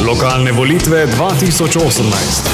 Lokalne volitve 2018.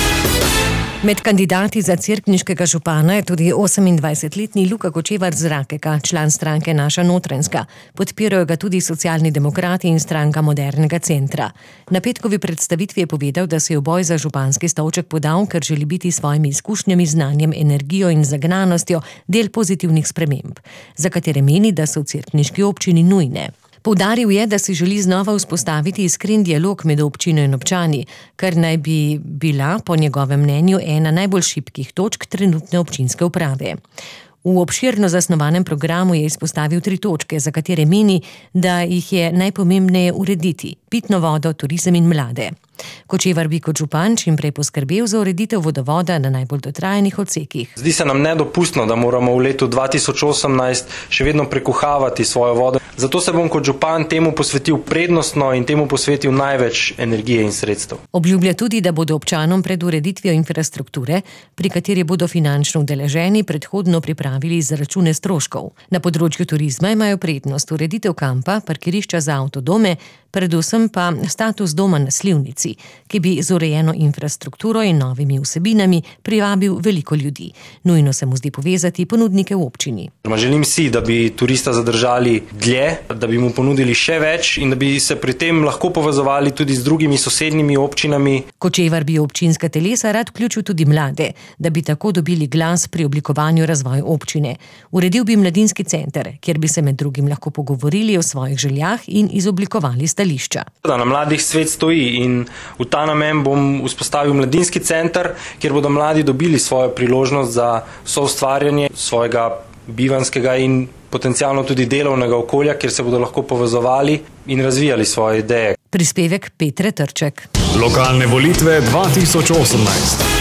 Med kandidati za cerkniškega župana je tudi 28-letni Luka Kočevar z Rakeka, član stranke Naša Notranjska. Podpirajo ga tudi Socialni demokrati in stranka Modernega centra. Na petkovi predstavitvi je povedal, da se je v boj za županski stolček podal, ker želi biti s svojimi izkušnjami, znanjem, energijo in zagnanostjo del pozitivnih sprememb, za katere meni, da so v cerkniški občini nujne. Poudaril je, da si želi znova vzpostaviti iskren dialog med občino in občani, kar naj bi bila, po njegovem mnenju, ena najbolj šibkih točk trenutne občinske uprave. V obširno zasnovanem programu je izpostavil 3 točke, za katere meni, da jih je najpomembneje urediti: pitno vodo, turizem in mlade. Kočevar bi kot župan čim prej poskrbel za ureditev vodovoda na najbolj dotrajanih odsekih. Zdi se nam nedopustno, da moramo v letu 2018 še vedno prekuhavati svojo vodo. Zato se bom kot župan temu posvetil prednostno in temu posvetil največ energije in sredstev. Obljublja tudi, da bodo občanom pred ureditvijo infrastrukture, pri kateri bodo finančno udeleženi, predhodno pripravili izračune stroškov. Na področju turizma imajo prednost ureditev kampa, parkirišča za avtodome, predvsem pa status doma na Slivnici, ki bi z urejeno infrastrukturo in novimi vsebinami privabil veliko ljudi. Nujno se mu zdi povezati ponudnike v občini. Želim si, da bi turista zadržali dlje, da bi mu ponudili še več in da bi se pri tem lahko povezovali tudi z drugimi sosednjimi občinami. Kočevar bi občinska telesa rad vključil tudi mlade, da bi tako dobili glas pri oblikovanju razvoja občine. Uredil bi mladinski center, kjer bi se med drugim lahko pogovorili o svojih željah in izoblikovali stališča. Na mladih svet stoji in v ta namen bom vzpostavil mladinski center, kjer bodo mladi dobili svojo priložnost za soustvarjanje svojega bivanskega in potencialno tudi delovnega okolja, kjer se bodo lahko povezovali in razvijali svoje ideje. Prispevek Petre Trček. Lokalne volitve 2018.